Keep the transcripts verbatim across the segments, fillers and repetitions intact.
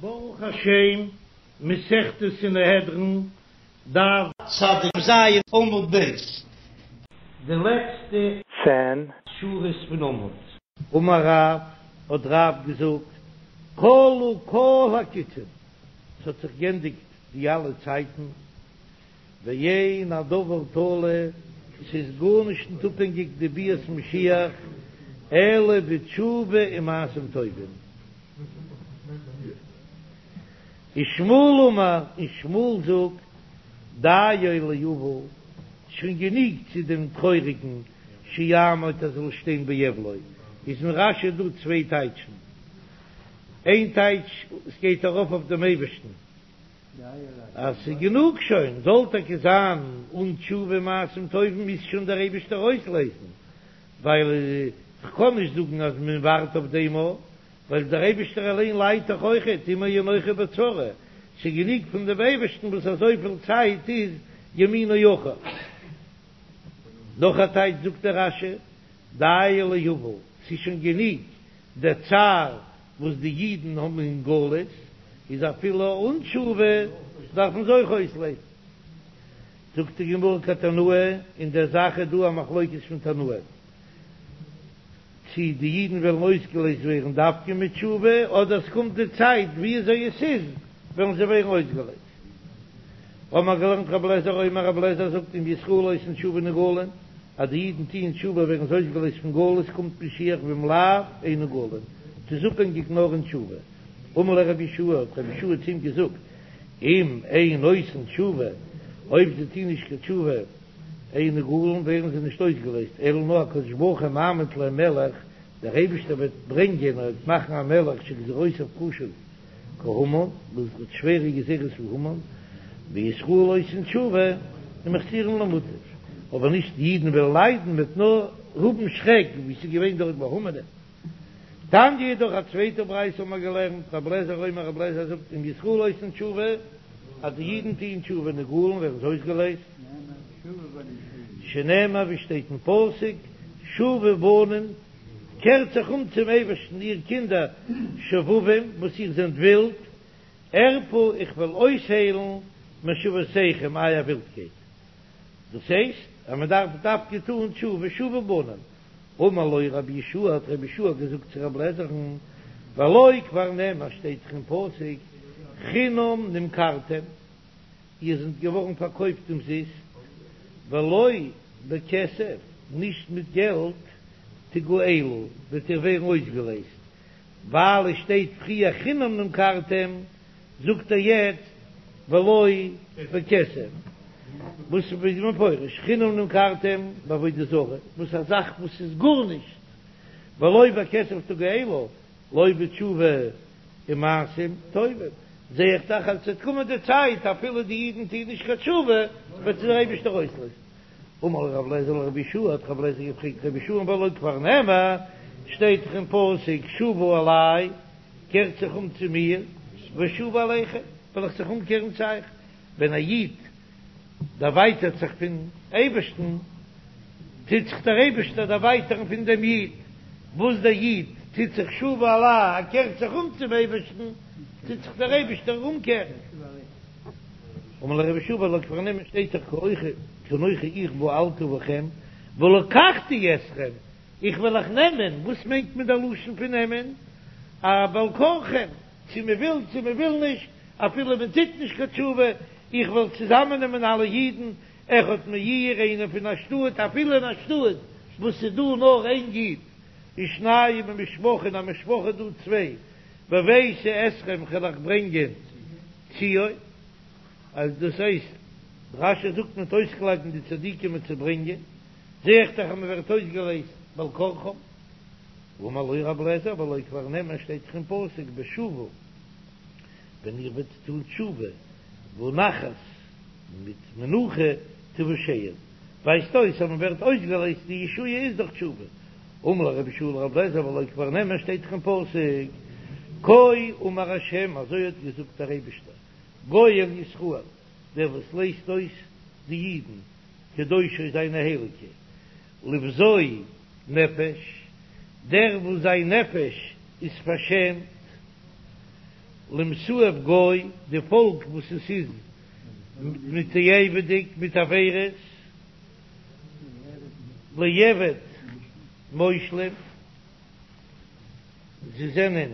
ברוך השם, מסכת סנהדרין, דף צדיק ז עמוד ב'. די לעצטע צען שורות פון עמוד. אמר רב, האט רב געזאגט, כלו כל הקיצין, ס'האט זיך גענדיגט די אלע צייטן, ואין הדבר תלוי, ס'איז גארנישט ניט אפהענגיק די ביאת משיח, אלא בתשובה ומעשים טובים. ושמואל אמר, און שמואל זאגט, דיו לאבל, שוין גענוג צו דעם טרויעריגן, שיעמוד ער זאל שטיין באבלו, איז אין רש"י דא צוויי טייטשן, איין טייטש, עס גייט ארויף אויף דעם אייבערשטן, אז ס'איז גענוג שוין, זאל טאקע זיין אן תשובה ומעשים טובים מוז שוין דער אייבערשטער אויסלייזן, ווייל כ'קען נישט זאגן אז מען ווארט אויף דעם א, ווייל דער אייבערשטער אליין ליידט דאך אויכעט, עמו אנכי בצרה, ס'איז גענוג פון דעם אייבערשטן וואס אזויפיל צייט איז ימינו אחור. נאך א טייטש זאגט דער רש"י, דיו לאבל, ס'איז שוין גענוג דער צער וואס די אידן האבן אין גלות, איז אפילו אן תשובה דארף מען זיי אויך אויסלייזן. זאגט די גמרא כתנאי, אין דער זאך איז דא א מחלוקת פון תנאים, צי די אידן וועלן אויסגעלייזט ווערן דווקא מיט תשובה, אדער עס קומט די צייט ווי אזוי עס איז וועלן זיי ווערן אויסגעלייזט. האבן מיר געלערנט רבי אליעזר אומר רבי אליעזר זאגט אם ישראל עושין תשובה נגאלין, אז די אידן טוען תשובה ווערן זיי אויסגעלייזט פון גלות קומט משיח ואם לאו אין נגאלין, ס'איז אפהענגיק נאר אין תשובה. אמר לו רבי יהושע, האט רבי יהושע צו אים געזאגט, אם אין עושין תשובה, אויב זיי טוען נישט קיין תשובה, אין נגאלין ווערן זיי נישט אויסגעלייזט, אלא נאר הקדוש ברוך הוא מעמיד להם מלך, דער אייבערשטער וועט ברענגען און וועט מאכן א מלך שגזירותיו קשות כהמן, וואס האט שווערע גזירות ווי המן, וישראל עושין תשובה ומחזירין למוטב, אבער נישט די אידן וועלן ליידן, מ'וועט נאר האבן שרעק ווי ס'איז געווען דארט ביי המן'ען. תניא אידך א צווייטע ברייתא האבן מיר געלערנט, רבי אליעזר אומר רבי אליעזר זאגט אם ישראל עושין תשובה, אז די אידן טוען תשובה נגאלין ווערן זיי אויסגעלייזט, שנאמר ווי שטייט אין פסוק, שובו בנים, קערט זיך אום צום אייבערשטן איר קינדער שובבים וואס איר זענט ווילד, ארפא איך וועל אויסהיילן משובותיכם אייער ווילדקייט. דאס הייסט אז מען דארף דווקא טון תשובה שובו בנים. אמר לו רבי יהושע האט רבי יהושע געזאגט צו רבי אליעזר'ן, והלא כבר נאמר שטייט דאך אין פסוק חינם נמכרתם, איר זענט געווארן פארקויפט אומזיסט, ולא בכסף, נישט מיט געלט, תגאלו, וועט איר ווערן אויסגעלייזט, ווייל עס שטייט פריער חינם נמכרתם, זאגט ער יעצט ולא בכסף, וואס איז מפורש חינם נמכרתם בעבודה זרה, וואס א זאך וואס איז גארנישט, ולא בכסף תגאלו, לא בתשובה ומעשים טובים, זע איך דאך אז עס וועט קומען די צייט אפילו די אידן טוען נישט קיין תשובה וועט זיי דער אייבערשטער אויסלייזן. אמר לו רבי אליעזר לרבי יהושע, האט רבי אליעזר געפרעגט רבי יהושע והלא כבר נאמר, שטייט דאך אין פסוק שובו אלי, קערט זיך אום צו מיר, ואשובה אליכם, וועל איך זיך אומקערן צו אייך. ווען א איד דערווייטערט זיך פון אייבערשטן, טוט זיך דער אייבערשטער דערווייטערן פון דעם איד. וואס דער איד טוט זיך שובו אלי, ער קערט זיך אום צום אייבערשטן, טוט זיך דער אייבערשטער אומקערן. אמר לו רבי יהושע והלא כבר נאמר שטייט דאך כי אנכי איך בעלתי בכם ולקחתי אתכם, איך וועל אייך נעמען, וואס מיינט מען דער לשון פון נעמען? א בעל כרחם, צו מען וויל צו מען וויל נישט, אפילו מען טוט נישט קיין תשובה, איך וועל צוזאמען נעמען אלע אידן, אחד מעיר, איינער פון א שטאט, אפילו אין א שטאט וואס ס'איז דא נאר איין איד, ושניים ממשפחה, אין א משפחה איז דא צוויי, והבאתי אתכם כ'וועל אייך ברענגען ציון, אז דאס הייסט, רש"י זאגט מ'וועט אויסקלייבן די צדיקים מיט צו ברענגען, זע איך דאך אז מען ווערט אויסגעלייזט בעל כרחם. אמר לו רבי אליעזר והלא כבר נאמר שטייט דאך אין פסוק בשובו ווען איר וועט טון תשובה ונחת מיט מנוחה תושעון ווייזט אויס אז מען ווערט אויסגעלייזט די ישועה איז דורך תשובה. אמר לו רבי יהושע לרבי אליעזר והלא כבר נאמר שטייט דאך אין פסוק כה אמר השם אזוי האט געזאגט דער אייבישטער גואל ישראל דער וואס לייזט אויס די אידן קדושי זיינע הייליגע לבזוי נפש, דער וואס זיין נפש איז פארשעמט, למתועב גוי, די פאלק וואס עס איז מתועב'דיג מיט עבירות, לעבד מושלים, זיי זענען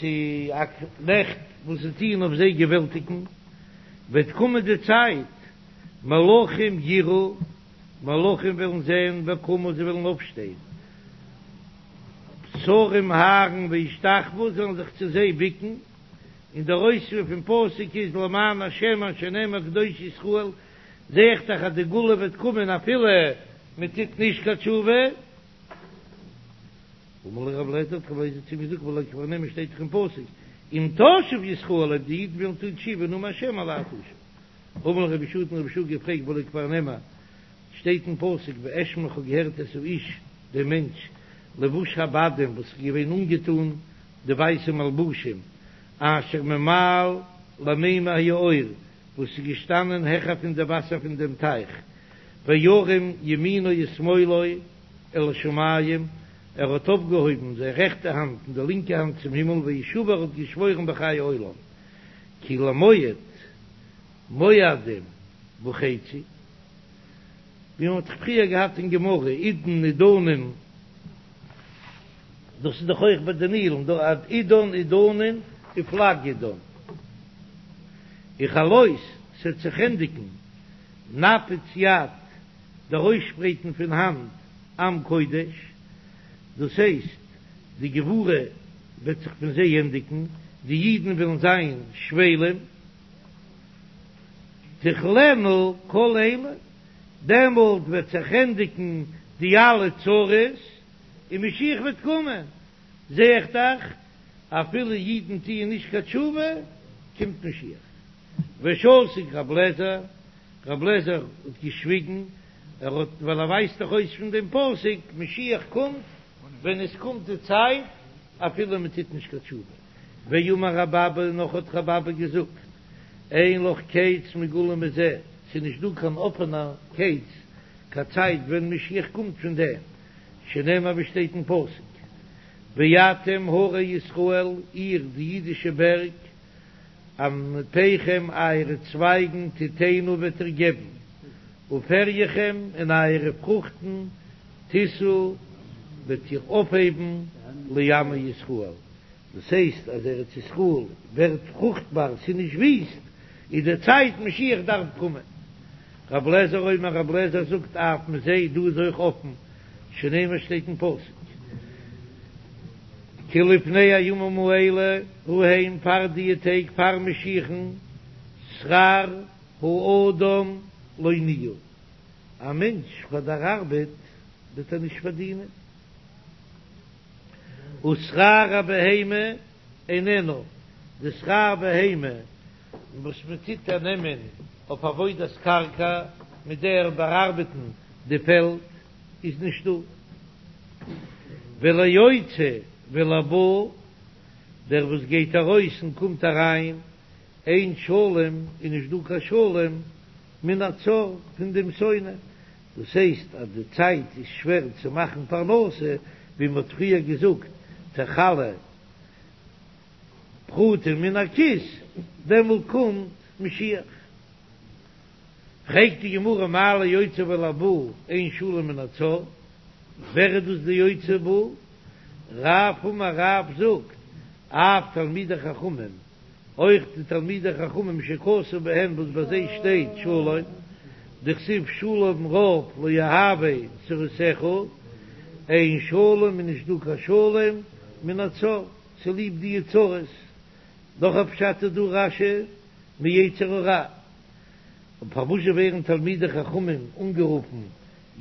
צו א קנעכט וואס זיי טוען אויף זיי געוועלטיגן, וועט קומען די צייט, מלכים יראו, מלכים וועלן זען, וקמו זיי וועלן אויפשטיין, שרים הארן וישתחוו זיי וועלן זיך צו זיי ביקן, און דער אויספיר פון פסוק איז למען השם אשר נאמר קדוש ישראל, זע איך דאך אז די גאולה וועט קומען אפילו מען טוט נישט קיין תשובה. אמר לו רב לעזער, האט רב לעזער צו אים געזאגט, והלא כבר נאמר שטייט דאך אין פסוק, אם תשוב ישראל אויב די אידן וועלן טון תשובה נאם השם אלי תשוב. אמר לו רבי יהושע האט אים רבי יהושע געפרעגט והלא כבר נאמר שטייט אין פסוק ואשמע איך האב געהערט את האיש דעם מענטש לבוש הבדים וואס איז געווען אנגעטון די ווייסע מלבושים אשר ממעל למימי היאור וואס איז געשטאנען העכער פון די וואסער פון דעם טייך וירם ימינו ושמאלו אל השמים ער האט אויפגעהויבן זיין רעכטע האנט און די לינקע האנט צום הימל וישבע ער האט געשוואוירן בחיי עולם כי למועד מועדים וחצי, ווי מען האט דאך פריער געהאט אין גמרא עידן עידנין, דאס איז דאך אויך ביי די נילן דא עידן עידנין ופלג עידן, וכלות ס'עט זיך ענדיגן נפץ יד דער אויסשפרייטן פון האנט עם קודש, דאס הייסט די גבורה וועט זיך פון זיי ענדיגן, די אידן וועלן זיין שפלים, תכלינה כל אלה, דעמאלט וועט זיך ענדיגן די אלע צרות און משיח וועט קומען, זע איך דאך אפילו אידן טוען נישט קיין תשובה קומט משיח. ושתק רב לעזער, רב לעזער האט געשוויגן, ער האט ווייל ער ווייסט דאך אויס פון דעם פסוק משיח קומט ווען עס קומט די צייט אפילו מען טוט נישט קיין תשובה. ואמר רב אבא, נאך האט רב אבא געזאגט, אין לך קץ מגולה מזה, ס'איז נישט דא קיין אפענער קץ, קיין צייט ווען משיח קומט פון דעם, שנאמר ווי שטייט אין פסוק, ואתם הרי ישראל, איר די אידישע בערג, ענפיכם אייערע צווייגן תתנו וועט איר געבן, ופריכם און אייערע פרוכטן תשאו וועט איר אויפהייבן לעמי ישראל, דאס הייסט אז ארץ ישראל ווערט פרוכטבאר, ס'איז נישט וויסט, איז די צייט משיח דארף קומען. רב לעזער אומר רב לעזער זאגט אף מזה דא איז אויך אפן, שנאמר שטייט אין פסוק כי לפני הימים האלה ההם פאר דיע טעג פאר משיח'ן שכר האדם לא נהיה, א מענטש פאר דער ארבעט וועט ער נישט פארדינען, ושכר הבהמה איננו, די שכר בהמה וואס מען טוט איר נעמען אויף עבודת קרקע מיט דער באארבעטן די פעלד איז נישטא, וליוצא ולבא, דער וואס גייט ארויס און קומט אריין, אין שלום איז נישט דא קיין שלום מן הצר פון דעם שונא, דאס הייסט אז די צייט איז שווער צו מאכן פרנסה, ווי מען האט פריער געזאגט תכלה פרוטה מן הכיס, דעמאלט קומט משיח. פרעגט די גמרא מאי ליוצא ולבא אין שלום מן הצר, ווער איז דאס די יוצא ובא? רב אמר רב זאגט אף תלמידי חכמים, אויך די תלמידי חכמים שכתוב בהן וואס ביי זיי שטייט שלום, דכתיב שלום רב לאוהבי תורתך, אין שלום איז נישט דא קיין שלום מן הצר, צוליב די צרות, נאך א פשט איז דא רש"י מיצר הרע, און פארוואזשע ווערן תלמידי חכמים אנגערופן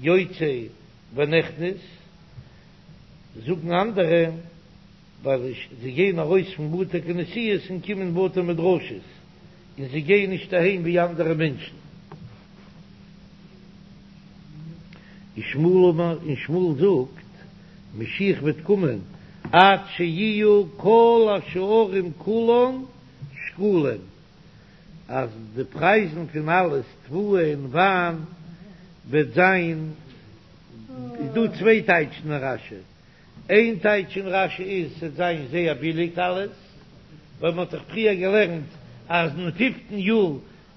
יוצא ונכנס, זאגן אנדערע ווייל זיי גייען ארויס פון בתי כנסיות און קומען בתי מדרשות, און זיי גייען נישט אהיים ווי אנדערע מענטשן. ושמואל אמר, און שמואל זאגט, משיח וועט קומען עד שיהיו כל השערים כולן שקולים, אז די פרייזן פון אלעס, תבואה און וויין, וועט זיין, איז דא צוויי טייטשן אין רש"י, איין טייטש אין רש"י איז ס'עט זיין זייער ביליג אלעס, ווייל מען האט דאך פריער געלערנט אז אין פיפטן יאר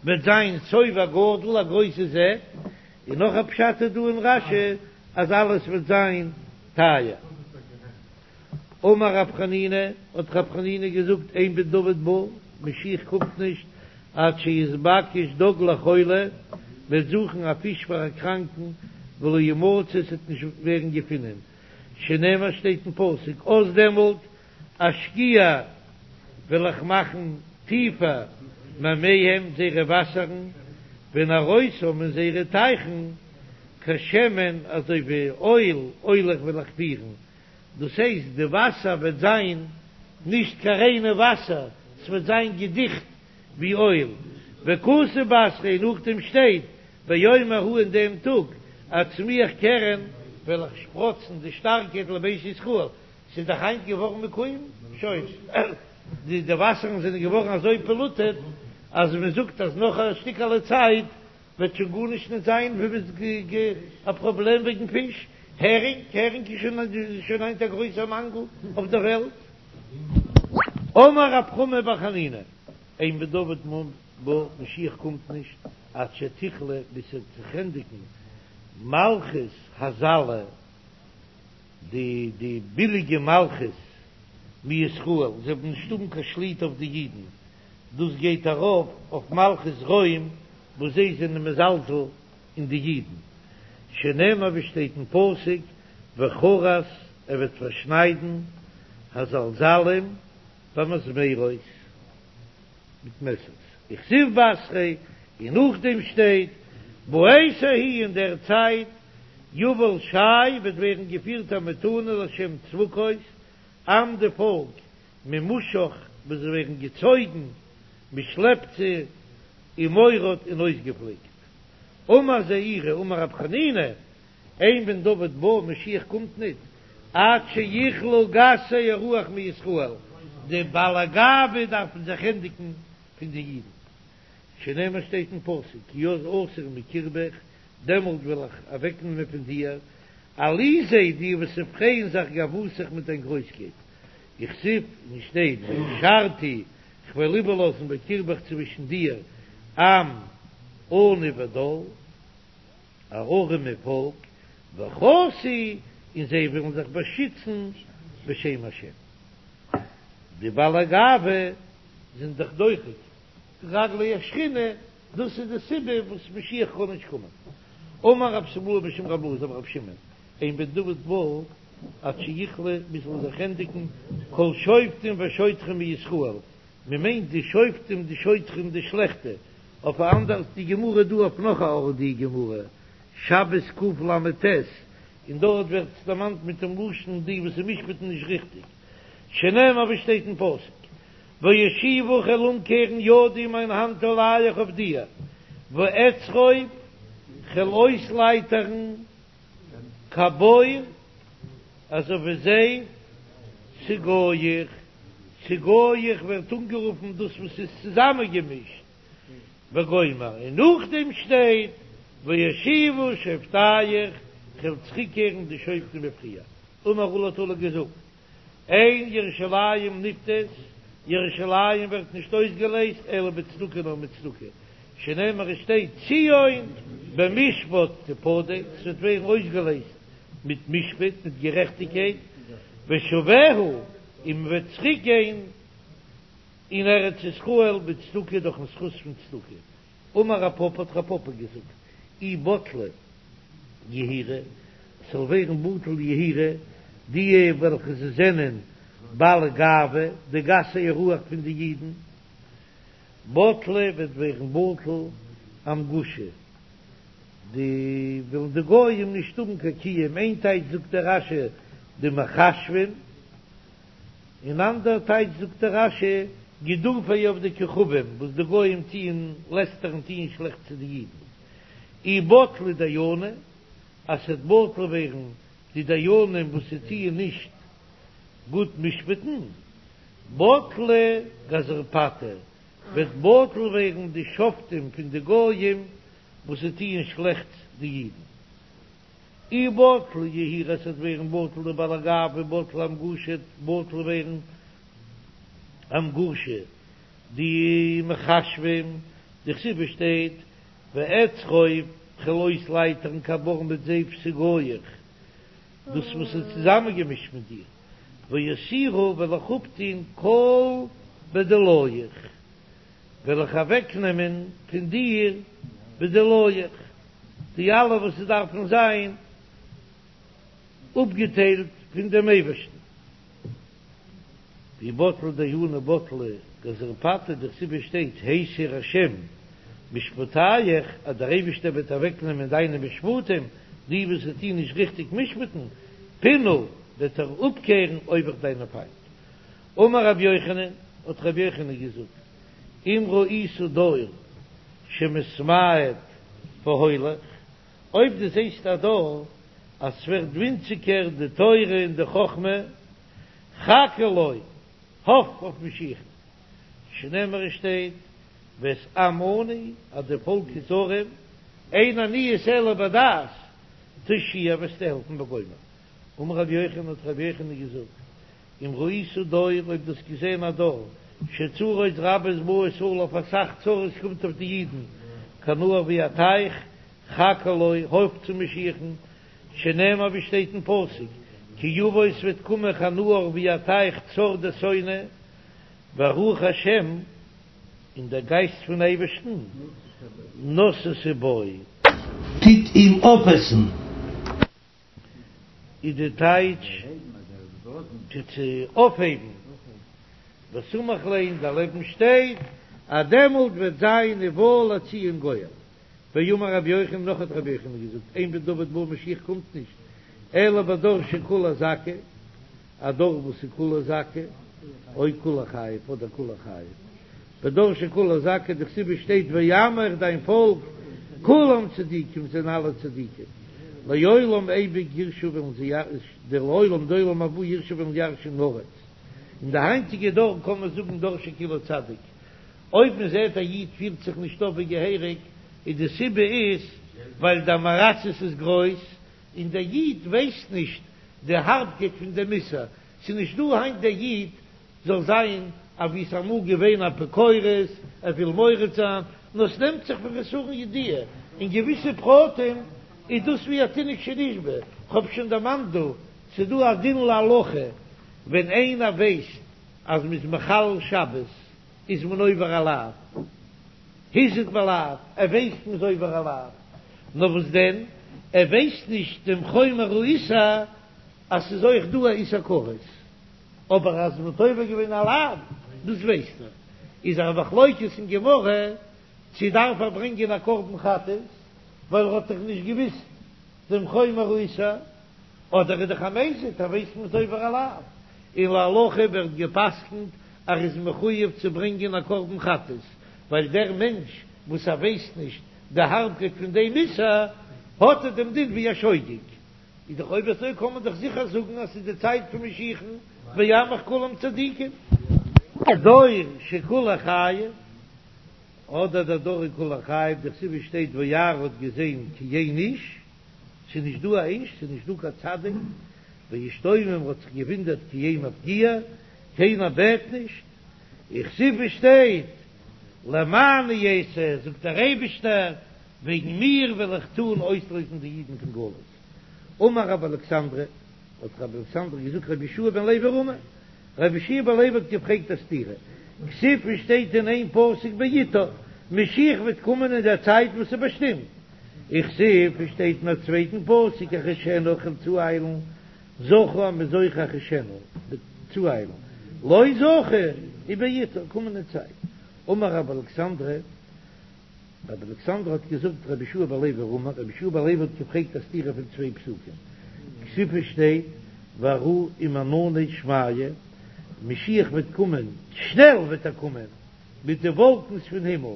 וועט זיין שובע גדול, א גרויסע זעט, און נאך א פשט איז דא אין רש"י אז אלעס וועט זיין טייער. אמר רב חנינא, האט רב חנינא געזאגט, אין בן דוד בא, משיח קומט נישט עד שיתבקש דג לחולה, מ'וועט זוכן א פיש פאר א קראנקן, ולא ימצא, עס וועט נישט ווערן געפונען, שנאמר שטייט אין פסוק, אז דעמאלט אשקיע וועל איך מאכן טיפער מימיהם זייערע וואסערן, ונהרותם און זייערע טייכן, כשמן אזוי ווי אויל, אוליך וועל איך פירן, דאס הייסט די וואסער וועט זיין נישט קיין ריינע וואסער, ס'וועט זיין געדיכט ווי אויל, וכתיב בתריה נאכדעם שטייט ביום ההוא אין דעם טאג אצמיח קרן וועל איך שפראצן די שטארקייט לבית ישראל, ס'איז דאך היינט געווארן מקוים שוין, די די וואסערן זענען געווארן אזוי פאלוטעט אז מען זאגט אז נאך א שטיקעלע צייט וועט שוין גארנישט נישט זיין א פראבלעם וועגן פיש, הערינג, הערינג איז שוין היינט א גרויסער מאנגל אויף דער וועלט. אמר רב חמא בר חנינא, אין בן דוד בא, משיח קומט נישט עד שתכלה ביז ס'וועט זיך ענדיגן מלכות הזלה, די די ביליגע מלכות מישראל, זיי וועלן נישט האבן קיין שליטה אויף די אידן, דאס גייט ארויף אויף מלכות רוים וואס זיי זענען מזלזל אין די אידן, שנאמר ווי שטייט אין פסוק וכרת ער וועט פארשניידן הזלזלים במזמרות מיט מעסערס, וכתיב בתריה, און נאכדעם שטייט בעת ההיא אין דער צייט יובל שי וועט ווערן געפירט א מתנה לשם צבקות עם די פאלק ממושך וואס זיי ווערן געצויגן, מען שלעפט זיי ומורד און אויסגעפליקט. אמר זעירי אמר רב חנינא, אין בן דוד בא, משיח קומט ניט, עד שיכלו גסי הרוח מישראל, די בעלי גאווה דארפן זיך ענדיגן פון די אידן, שנאמר שטייט אין פסוק, כי אז אסיר מקרבך, דעמאלט וועל איך אוועקנעמען פון דיר, עליזי די וואס פרייען זיך גאוותך מיט דיין גרויסקייט, וכתיב און שטייט והשארתי כ'וועל איבערלאזן בקרבך צווישן דיר עם עני ודל, א ארעמע פאלק, וחסו און זיי וועלן זיך באשיצן בשם השם. די בעלי גאווה זענען דאך דוחק רגלי השכינה, דאס איז די סיבה וואס משיח קען נישט קומען. אמר רב שמואל משום רב אלעזר אמר רב שמעון, אין בן דוד בא עד שיכלה ביז ס'זאל זיך ענדיגן כל שופטים ושוטרים מישראל, מען מיינט די שופטים די שוטרים די שלעכטע, אויף א אנדערס די גמרא דא אויף נאך א ארט די גמרא, שבת קל"ט, און דארט ווערט עס דערמאנט מיט דעם לשון די וואס משפט'ן נישט ריכטיג, שנאמר ווי שטייט אין פסוק, ואשיבה כ'וועל אומקערן ידי מיין האנט עליך אויף דיר, ואצרוב כ'וועל אויסלייטערן כבור אזוי ווי זיי סגוח, סגוח ווערט אנגערופן דאס וואס איז צוזאמענגעמישט, וגומר, און נאכדעם שטייט ואשיבה שופטיך, כ'וועל צוריקקערן די שופטים ווי פריער, אמר עולא האט עולא געזאגט, אין ירושלים נפדית, ירושלים ווערט נישט אויסגעלייזט אלא בצדקה נאר מיט צדקה, שנאמר עס שטייט ציון במשפט תפדה, ס'וועט ווערן אויסגעלייזט מיט משפט, מיט גערעכטיגקייט, ושביה, און מ'וועט צוריק גיין אין ארץ ישראל בצדקה דורכ'ן זכות פון צדקה. אמר רב פפא האט רב פפא געזאגט, אי בטלי יהירי, ס'זאל ווערן בטל יהירי, די וועלכע זיי זענען בעלי גאווה, די גסי הרוח פון די אידן, בטלי וועט ווערן בטל אמגושי, די וועלן די גויים נישט האבן קיין קיום, איין טייטש זאגט דער רש"י די מכשפים, אן אנדער טייטש זאגט דער רש"י גידופי עובדי כוכבים וואס די גויים טוען לעסטערן טוען שלעכטס צו די אידן, אי בטלי דייני, אז ס'וועט בטל ווערן די דיינים וואס זיי טוען נישט גוט משפט'ן, בטלי גזרפתי, וועט בטל ווערן די שופטים פון די גויים וואס זיי טוען שלעכטס די אידן. אי בטלי יהירי ס'וועט ווערן בטל די בעלי גאווה בטלי אמגושי בטל ווערן המגורשה, די מכשפים, דכתיב עס שטייט ואצרוב כ'וועל אויסלייטערן כבר מיט זיי פתוגאיך, דאס וואס איז צוזאמענגעמישט מיט דיר, ואסירה וועל איך אפטון כל בדולאיך, וועל איך אוועקנעמען פון דיר בדולאיך, די אלע וואס עס דארפן זיין אפגעטיילט פון דעם אייבערשטן. ואי בטלי דיינא בטלי גזר פתי דכתיב עס שטייט הסיר השם משפטיך אז דער אייבערשטער וועט אוועקנעמען דיינע משפטים, די וואס טוען נישט ריכטיג משפט'ן, פינה וועט ער אפקערן אויביך דיינע פיינט. אמר רבי יוחנן, האט רבי יוחנן געזאגט, אם ראית דור שמתמעט והולך, אויב דו זעסט א דור אז ס'ווערט ווינציגער די תורה און די חכמה, חכה לו, האף אויף משיח'ן, שנאמר עס שטייט, ואת עם עני, אז די פאלק איז ארעם, אין עניות אלא בדעת, תושיע וועסטו העלפן וגומר. אמר רבי יוחנן האט רבי יוחנן געזאגט, אם ראית דור, אויב דו האסט געזען א דור, שצרות רבות באות עליו, אסאך צרות קומט אויף די אידן, כנהר ווי א טייך, חכה לו, האף צו משיח'ן, שנאמר ווי שטייט אין פסוק, כי יבוא עס וועט קומען כנהר ווי א טייך צר די שונא, ורוח השם, און דער גייסט פון אייבערשטן, נשתה בו. טוט אים אויפעסן. איז די טייטש טוט צו אויפהייבן, וסמיך ליה און דערלעבן שטייט אז דעמאלט וועט זיין ובא לציון גואל. ואמר רבי יוחנן, נאך האט רבי יוחנן געזאגט, אין בן דוד בא משיח קומט נישט, אלא בדור שכולו זכאי, א דור וואס איז כולו זכאי, או כולו חייב, אדער כולו חייב, בדור שכולו זכאי, דכתיב עס שטייט ועמך דיין פאלק, כולם צדיקים זענען אלע צדיקים, לעולם אייביג יירשו וועלן זיי די לעולם די עולם הבא יירשו וועלן ירש'ן ארץ, אין די היינטיגע דור קען מען זאגן דור שכולו צדיק, אויב מען זעט א איד פירט זיך נישט אויף ווי געהעריג, איז די סיבה איז ווייל די עם הארצות איז גרויס, און דער איד ווייסט נישט די הארבקייט פון דעם איסור, ס'איז נישט דא היינט דער איד זאל זיין אווי ס'איז אמאל געווען אפיקורס, ער וויל מורד זיין, נאר ס'נעמט זיך פון חסרון ידיעה, אין געוויסע פרטים איז דאס ווי א תינוק שנשבה, כ'האב שוין דערמאנט דא, ס'איז דא א דין להלכה ווען איינער ווייסט אז מ'איז מחלל שבת, איז מען עובר א לאו, הזהיר בלאו, ער ווייסט מ'איז עובר א לאו, נאר וואס דען, ער ווייסט נישט דעם חומר האיסור אז ס'איז אויך דא א איסור כרת, אבער אז מ'האט עובר געווען א לאו, דאס ווייסט ער. איז א מחלוקת אין גמרא צו דארף ער ברענגען א קרבן חטאת, ווייל ער האט דאך נישט געוויסט דעם חומר האיסור, אדער איז דאך א מזיד, ער ווייסט מ'איז עובר א לאו, און להלכה ווערט גע'פסק'נט אז ער איז מחויב צו ברענגען א קרבן חטאת, ווייל דער מענטש וואס ער ווייסט נישט די הארבקייט פון דעם איסור, האט ער דעם דין ווי א שוגג. איז דאך אויב אזוי קען מען דאך זיכער זאגן אז ס'איז די צייט פון משיח'ן, ועמך כולם צדיקים. דור שכולו חייב, אדער דער דור איז כולו חייב, דכתיב עס שטייט וירא האט געזען כי אין איש, ס'איז נישט דא א איש, ס'איז נישט דא קיין צדיק, וישתומם האט זיך געווינדערט כי אין מפגיע, קיינער בעט נישט, וכתיב עס שטייט למעני אעשה, זאגט דער אייבישטער, וועגן מיר וועל איך טון אויסלויזן די אידן פון גלות. אמר רבי אלכסנדרי, האט רבי אלכסנדרי געזאגט רבי יהושע בן לוי רמי, רבי יהושע בן לוי האט געפרעגט א סתירה, כתיב עס שטייט אין איין פסוק בעתה, משיח וועט קומען אין דער צייט וואס איז באשטימט, וכתיב עס שטייט אין א צווייטן פסוק אחישנה איך וועל צואיילן, זכו אז מ'איז זוכה אחישנה, צואיילן, לא זכו ובעתה, קומען אין צייט. אמר רבי אלכסנדרי, רבי אלכסנדר האט געזאגט רבי יהושע בן לוי רמי, רבי יהושע בן לוי האט געפרעגט א סתירה פון צוויי פסוקים, כתיב עס שטייט ואראה עם ענני שמיא, משיח וועט קומען, שנעל וועט ער קומען, מיט די וואלקנס פון הימל,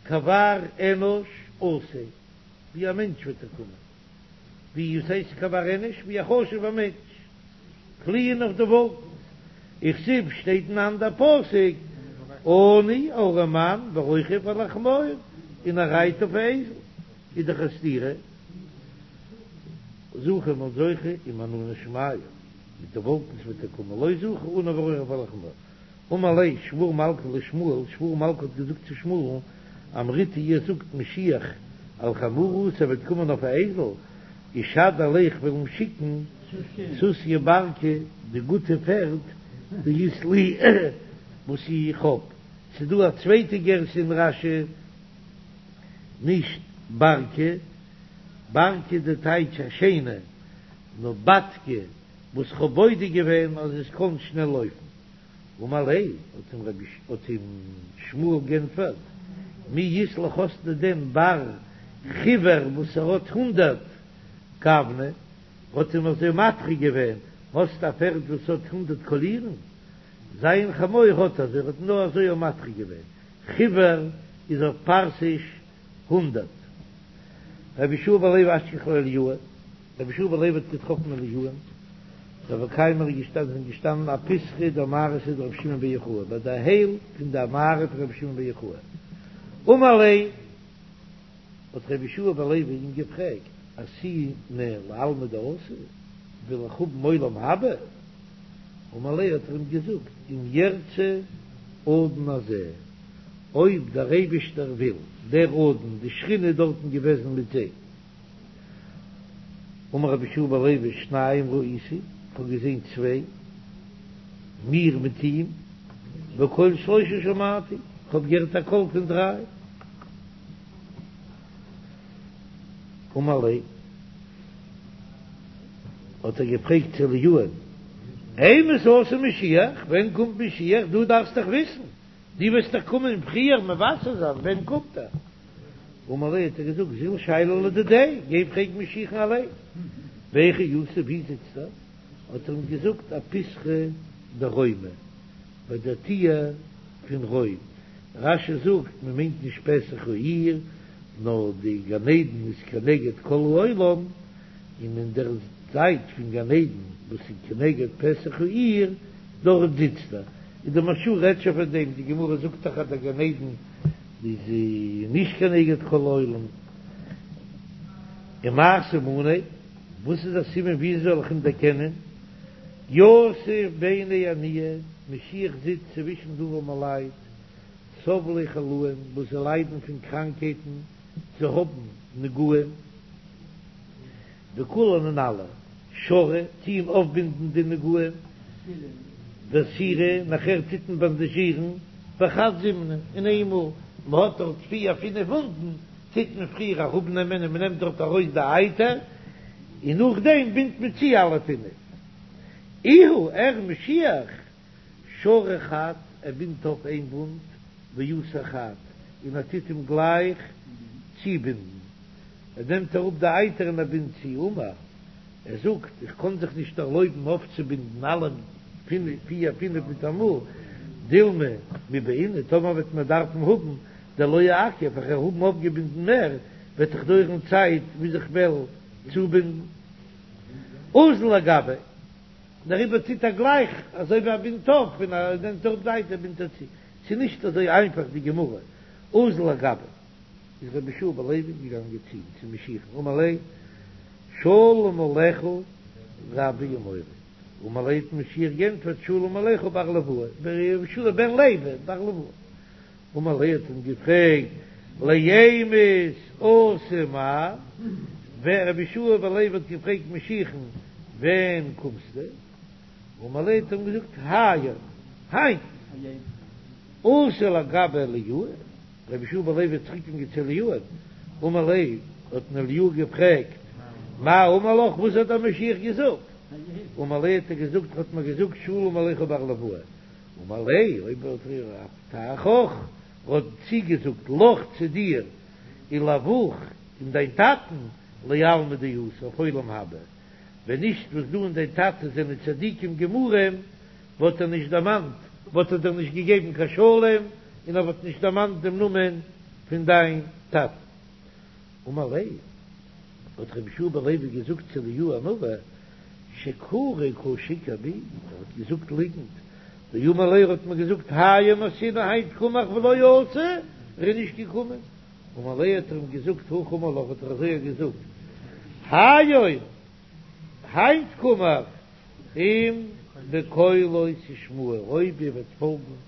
כבר אנוש אתי, ווי א מענטש וועט ער קומען. ווי וואס הייסט כבר אנוש? ווי א חשוב'ער מענטש פליען אויף די וואלקנס. וכתיב שטייט אין אנדער פסוק עני ארעמאן ורוכב על החמור און ער רייט אויף א אייזל. איז דאך א סתירה. זכו מ'איז זוכה עם ענני שמיא, מיט די וואלקנס וועט ער קומען, לא זכו עני ורוכב על החמור. אמר ליה שבור מלכא לשמואל, שבור מלכא האט געזאגט צו שמואל'ן, אמריתו איר זאגט משיח על חמורא אתי, ער וועט קומען אויף א אייזל, אשדר ליה איך וועל אים שיקן סוסיא ברקא די גוטע פערד דאית לי וואס איך האב, ס'איז דא א צווייטע גירסא אין רש"י נישט ברקא, ברקא די טייטש א שיינע, נאר בדקא וואס כ'האב בודק געווען אז עס קען שנעל לויפן. אמר ליה, האט אים רבי האט אים שמואל גענטפערט, מי אית לך האסטו דען בר חיוור וואס ער האט הונדערט גווני, האט אים אזוי מדחיק געווען, האסט א פערד וואס האט הונדערט קאלירן? זיין חמור האט אזוי, ער האט נאר אזוי מדחיק געווען, חיוור איז אויף פרסיש הונדערט. רבי יהושע בן לוי אשכחיה לאליהו, רבי יהושע בן לוי האט געטראפן אליהו'ן, דהוו קיימי איז געשטאנען זענען געשטאנען אפיתחא דמערתא דרבי שמעון בר יוחאי ביי די הייל פון די מערה פון רבי שמעון בר יוחאי, אמר ליה האט רבי יהושע בן לוי אים געפרעגט, אתינא לעלמא דאתי, וויל איך האבן עולם הבא? אמר ליה האט ער אים געזאגט, אם ירצה אדון הזה, אויב דער אייבישטער וויל, דער אדון, די שכינה איז דארטן געוועזן מיט זיי. אמר רבי יהושע בן לוי שניים ראיתי, איך האב געזען צוויי, מיר מיט אים, וקול שלושה שמעתי, איך האב געהערט א קול פון דריי. אמר ליה, האט ער געפרעגט צו אליהו'ן, אימת אתי משיח, ווען קומט משיח, דו דארפסט דאך וויסן, דו וועסט דאך קומען פריער מבשר זיין, ווען קומט ער? אמר ליה האט ער געזאגט זיל שייליה לדידיה, גיי פרעג משיח'ן אליין. והיכא יתיב, ווי זיצט ער? האט ער אים געזאגט אפיתחא דרומא, ביי דער טיר פון רוים. רש"י זאגט מען מיינט נישט פתח העיר, נאר די גן עדן איז כנגד כל העולם, און אין דער זייט פון גן עדן וואס איז כנגד פתח העיר, דארט זיצט ער. און די מהרש"א רעדט שוין פון דעם, די גמרא זאגט דאך אז דער גן עדן איז נישט כנגד כל העולם. ומאי סימניה, וואס איז א סימן ווי זאל איך אים דערקענען? יתיב ביני עניי, משיח זיצט צווישן די ארעמעלייט, סבלי חלאים, וואס זיי ליידן פון קראנקהייטן, זיי האבן נגעים, וכולן און אלע, שרו, טוען אויפבינדן די נגעים, ואסירו, נאכער טוט מען באנדאזשירן, בחד זימנא, אין איינמאל, מען האט דארט פיר פינף וואונדן, טוט מען פריער אראפנעמען און מען נעמט דארט ארויס די אייטער, און נאכדעם בינדט מען צו אלע פינף. איהו, ער משיח, שרא חד, ער בינדט אויף איין וואונד, ואסר חד, און ער טוט אים גלייך צובינדן. ער נעמט אראפ די אייטער און ער בינדט צו. אמר, ער זאגט, איך קען זיך נישט ערלויבן אויפצובינדן אלע פיר פינף מיטאמאל, דילמא מיבעינא, טאמער וועט מען דארפן האבן דלא אכף, איך וועל האבן אויפגעבינדן מער, וועט דאך דויערן צייט ביז איך וועל צובינדן. אזל לגביה, דעריבער טוט ער גלייך אזוי ווי ער בינדט אויף און ער נעמט אראפ די אייטער בינדט ער צו. ס'איז נישט אזוי איינפאך די גמרא. אזל לגביה. איז רבי יהושע בן לוי געגאנגען צו צו משיח'ן אמר ליה שלום עליך רבי ומורי אמר ליה האט משיח גענטפערט שלום עליך בר ליואי רבי יהושע בן לוי בר ליואי אמר ליה האט אים געפרעגט לאימת אתי מר ווען רבי יהושע בן לוי האט געפרעגט משיח'ן ווען קומסטו אמר ליה האט אים געזאגט היום היינט אתא לגביה אליהו רבי יהושע בן לוי איז צוריק געגאנגען צו אליהו'ן, אמר ליה, האט אים אליהו געפרעגט, מאי אמר לך, וואס האט דער משיח געזאגט? אמר ליה האט ער געזאגט, האט מיר געזאגט שלום עליך בר ליואי, אמר ליה, אויב האט ער אבטחך, האט צוגעזאגט לך צו דיר, ולאבוך און דיין טאטן, לעלמא דאתי, אויף עולם הבא, ווען נישט וואס דו און דיין טאטע זענען צדיקים גמורים, וואלט ער נישט דערמאנט, וואלט ער דיר נישט געגעבן קיין שלום, און ער וואלט נישט דערמאנט דעם נאמען פון דיין טאטן. אמר ליה, האט רבי יהושע בן לוי געזאגט צו אליהו הנביא, שקורי קא שיקר בי, ער האט געזאגט ליגנט, דאמר לי, ער האט מיר געזאגט היום אתינא היינט קום איך ולא אתא, ער איז נישט געקומען. אמר ליה האט ער אים געזאגט הכי אמר לך האט ער אזוי געזאגט, היום היינט קום איך אם בקולו תשמעו, אויב איר וועט פאלגן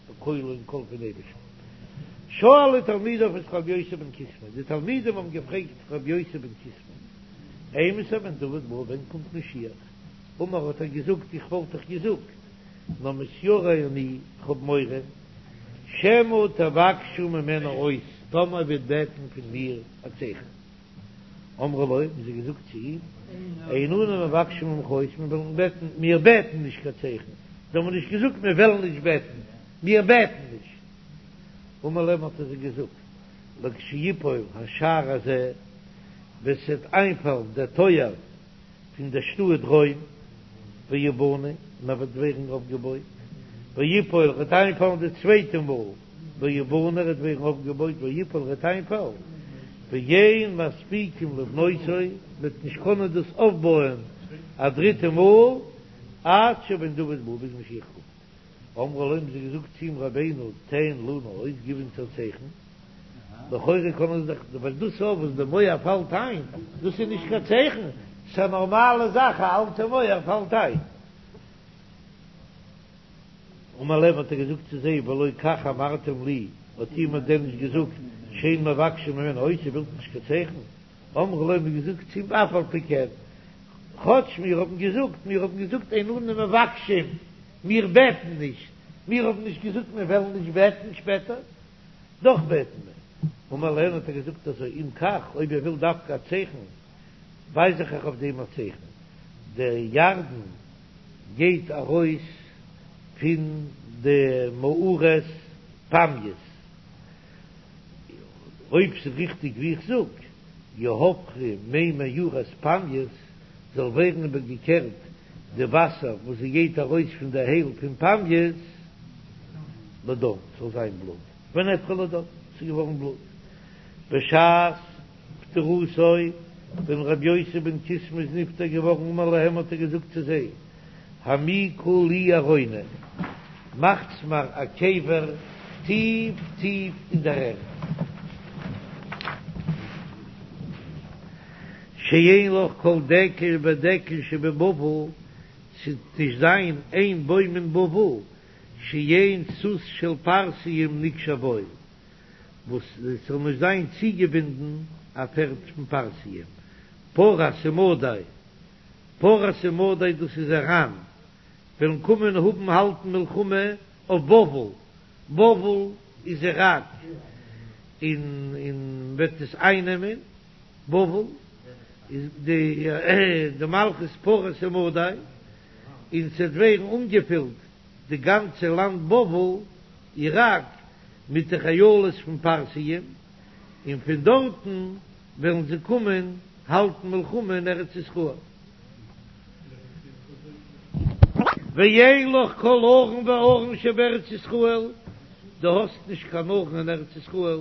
בקולו אין קול פון אייבערשטן. שאלו תלמידיו את רבי יוסי בן קיסמא, די תלמידים האבן געפרעגט רבי יוסי בן קיסמא, אימתי בן דוד בא, ווען קומט משיח? אמר האט ער געזאגט, איך וואלט דאך געזאגט, נאר מתיירא אני, איך האב מורא, שמא תבקשו ממני אות, טאמער וועט בעטן פון מיר א צייכן. אמרו לו, האבן זיי געזאגט צו אים, אין אנו מבקשים ממך אות, מיר וועלן בעטן, מיר בעטן נישט קיין צייכן, זיי האבן נישט געזאגט מיר וועלן נישט בעטן, מיר בעטן נישט. אמר להם האט ער זיי געזאגט, לכשיפול השער הזה, ווען ס'וועט איינפאלן דער טויער פון דער שטאט רוים, ויבנה, און ער וועט ווערן אויפגעבויט, ויפול, וועט איינפאלן די צווייטע מאל, ויבנה, ער וועט ווערן אויפגעבויט, ויפול, וועט איינפאלן, ואין מספיקים לבנותו, מ'וועט נישט קענען דאס אויפבויען א דריטע מאל, עד שבן דוד בא, ביז משיח קומט. אמרו לו, האבן זיי געזאגט צו אים, רבינו, תן לנו אות, גיב אונז א צייכן. לכאורה קען עס דאך, ווייל דאס אויף וואס די מויער פאלט איין, דאס איז נישט קיין צייכן, ס'איז א נארמאלע זאך, א אלטע מויער פאלט איין. אמר להם האט ער געזאגט צו זיי, והלא כך אמרתם לי, האט איר מיר דען נישט געזאגט, שאין מבקשים ממני אות, איר ווילט נישט קיין צייכן? אמרו לו האבן געזאגט צו אים אף על פי כן, כאטש מיר האבן געזאגט, מיר האבן געזאגט אין אנו מבקשים, מיר בעטן נישט, מיר האבן נישט געזאגט מיר וועלן נישט בעטן שפעטער, דאך בעטן מיר. אמר להן האט ער געזאגט אזוי, אם כך, אויב איר ווילט דווקא א צייכן, ווייז איך אייך אויף דעם א צייכן, דער ירדן גייט ארויס פון די מערת פמייס, אויב ס'איז ריכטיג ווי איך זאג, יהפכו מי מערת פמייס, זאל ווערן איבערגעקערט די וואסער וואס זי גייט ארויס פון די הייל פון פמייס, לדם, ס'זאל זיין בלוט, ונהפכו לדם, ס'איז געווארן בלוט. בשעת פטירתו, ווען רבי יוסי בן קיסמא איז נפטר געווארן, אמר להם האט ער געזאגט צו זיי, העמיקו לי ארונא, מאכטס מיר א קבר טיף טיף אין דער ערד, שאין לך כל דקל ודקל שבבבל, ס'וועט נישט זיין איין בוים אין בבל, שאין סוס של פרסיים נקשר בו, וואס עס זאל נישט זיין צוגעבינדן א פערד פון פרסיים, פרס ומדי, פרס ומדי דאס איז איראן, וועלן קומען האבן האלטן מלחמה אויף בבל, בבל איז איראק, און און וועט עס אייננעמען, בבל איז די די מלכות פרס ומדי, און ס'וועט ווערן אנגעפילט די גאנצע לאנד בבל, איראק, מיט די חיילות פון פרסיים, און פון דארטן וועלן זיי קומען האלטן מלחמה אין ארץ ישראל. ואין לך כל ארון וארון שבארץ ישראל, דו האסט נישט קיין ארון אין ארץ ישראל,